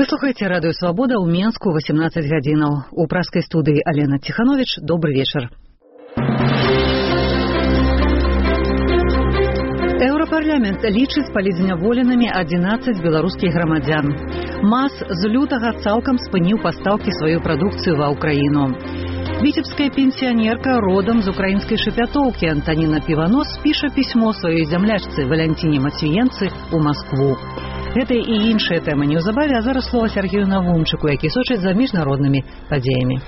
Вы слухаеце радыё Свабода ў Менску 18 гадзінаў. У праскай студыі Алена Ціхановіч. Добры вечар. Еўрапарламент лічыць палізняволенымі 11 беларускіх грамадзян. МАЗ з лютага цалкам спыніў пастаўкі сваёй прадукцыі ва ўкраіну. Віцебская пенсіянерка родам з украінскай шапятоўкі Антаніна Піванос піша пісьмо сваёй зямлячцы Валянціне Мацвіенцы ў Маскву. Гэта і іншыя тэмы неўзабаве, а зараз слова Сергею Навумчыку, які сочыць за міжнароднымі падзеямі.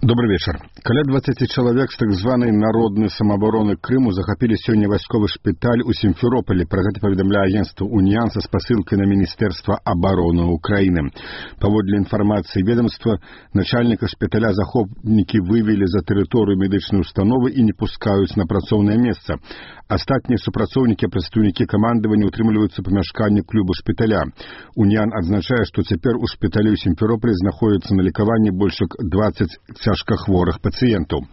Добрый вечер. Каля 20 человек з так званай народнай самаабароны Крыму захапілі сёння вайсковы шпіталь у Сімферополі. Пра гэта паведамляе агенцтва «Уніан» са спасылкай на Міністэрства абароны Украіны. Паводле інфармацыі ведомства, начальніка шпіталя захопнікі вывелі за тэрыторыю медычнай установы і не пускаюць на працоўнае месца. Астатнія супрацоўнікі, прадстаўнікі камандавання утрымліваюцца памяшканні клуба шпіталя. «Уніан» адзначае, што цяпер у шпіталі ў Сімферополі знаходзяцца на лікаванні больш як 20 цяжкахворых пацыентаў.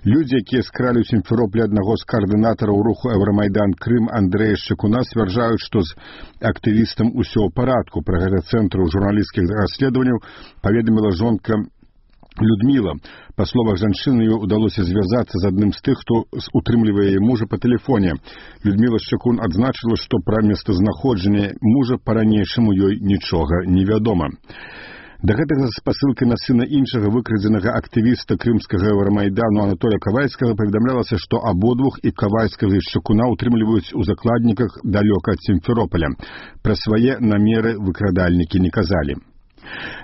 Людзі, якія скралі ў Сімферополі аднаго з каардынатараў руху «Еўрамайдан Крым» Андрэя Шчыкуна, сцвярджаюць, што з актывістам усё ў парадку. Пра гэта цэнтру журналісцкіх расследаванняў паведаміла жонка Людміла. Па словах жанчыны, ёй удалося звязацца з адным з тых, хто утрымлівае яе мужа па тэлефоне. Людміла Шчыкун адзначыла, што пра месцазнаходжанне мужа па-ранейшаму ёй нічога не вядома. Да гэтага з спасылкай на сына іншага выкрадзенага актывіста крымскага Еўрамайдану Анатолія Кавальскага паведамлялася, што абодвух, і Кавальскага, і Шчыкуна, утрымліваюць у закладніках далёка ад Сімферополя. Пра свае намеры выкрадальнікі не казалі.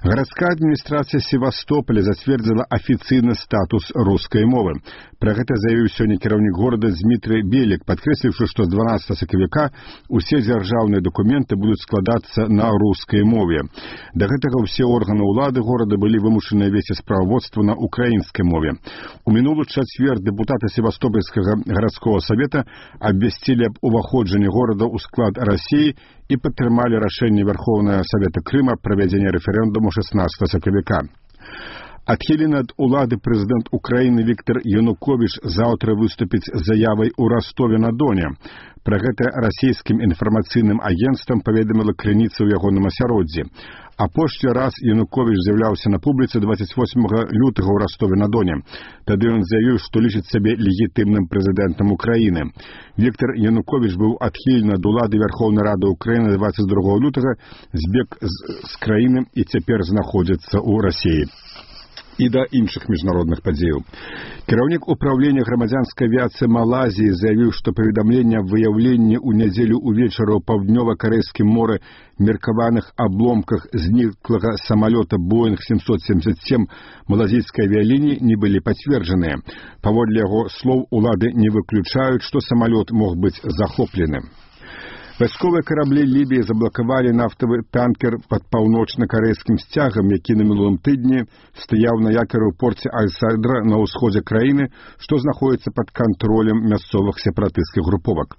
Гарадская адміністрацыя Севастополя зацвердзіла афіцыйны статус рускай мовы. Пра гэта заявіў сёння кіраўнік горада Дмітрый Белік, падкрэсліўшы, што з 12 сакавіка усе дзяржаўныя дакументы будуць складацца на рускай мове. Да гэтага ўсе органы ўлады горада былі вымушаныя весці справаводства на украінскай мове. У мінулы чацвер дэпутаты Севастопольскага гарадскога савета абвясцілі аб уваходжанні горада ў склад Расіі і падтрымалі рашэнне Верховнага Савета Крыма пра правядзенне рэферэндуму 16 сакавіка. Адхілены ад улады прэзідэнт Украіны Віктор Януковіч заўтра выступіць з заявай у Ростове-на-Доне. Пра гэта расійскім інфармацыйным агенцтвам паведаміла крыніца ў ягоным асяроддзі. Апошні раз Януковіч з'яўляўся на публіцы 28 лютага ў Ростове-на-Доне. Тады ён заявіў, што лічыць сябе легітымным прэзідэнтам Украіны. Віктор Януковіч быў адхілены ад улады Верховнай Рады Украіны 22 лютага, збег з краіны і цяпер знаходзіцца ў Расіі. І да іншых міжнародных падзеяў. Кіраўнік управлення грамадзянскай авіяцыі Малайзіі заявіў, што паведамленне аб выяўленні ў нядзелю ўвечары ў паўднёва-карэйскім моры меркаваных абломках зніклага самалёта Боинг 777 малазійскай авіялініі не былі пацверджаныя. Паводле яго слоў, улады не выключаюць, што самалёт мог быць захоплены. Вайсковыя караблі Лібіі заблакавалі нафтавы танкер пад паўночна-карэйскім сцягам, які на мінулым тыдні стаяў на якары ў порце Аль-Садра на ўсходзе краіны, што знаходзіцца пад кантролем мясцовых сепаратысцкіх груповак.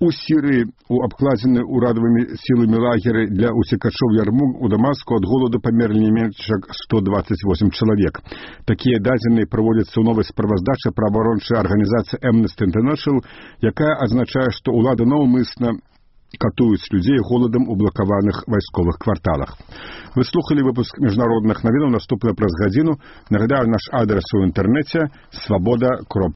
У Сірыі у абкладзены ўрадавымі сіламі лагеры для уцекачоў Ярмук у Дамаску ад голаду памерлі не менш як 128 чалавек. Такія дадзеныя праводзяцца ў новай справаздачы праваабарончай арганізацыі Amnesty International, якая азначае, што ўлада наўмысна катуюць людзей голадам у блакаваных вайсковых кварталах. Вы слухалі выпуск міжнародных навінаў, наступны праз гадзіну. Нагадаю, наш адрес у інтэрнэце свабода.орг.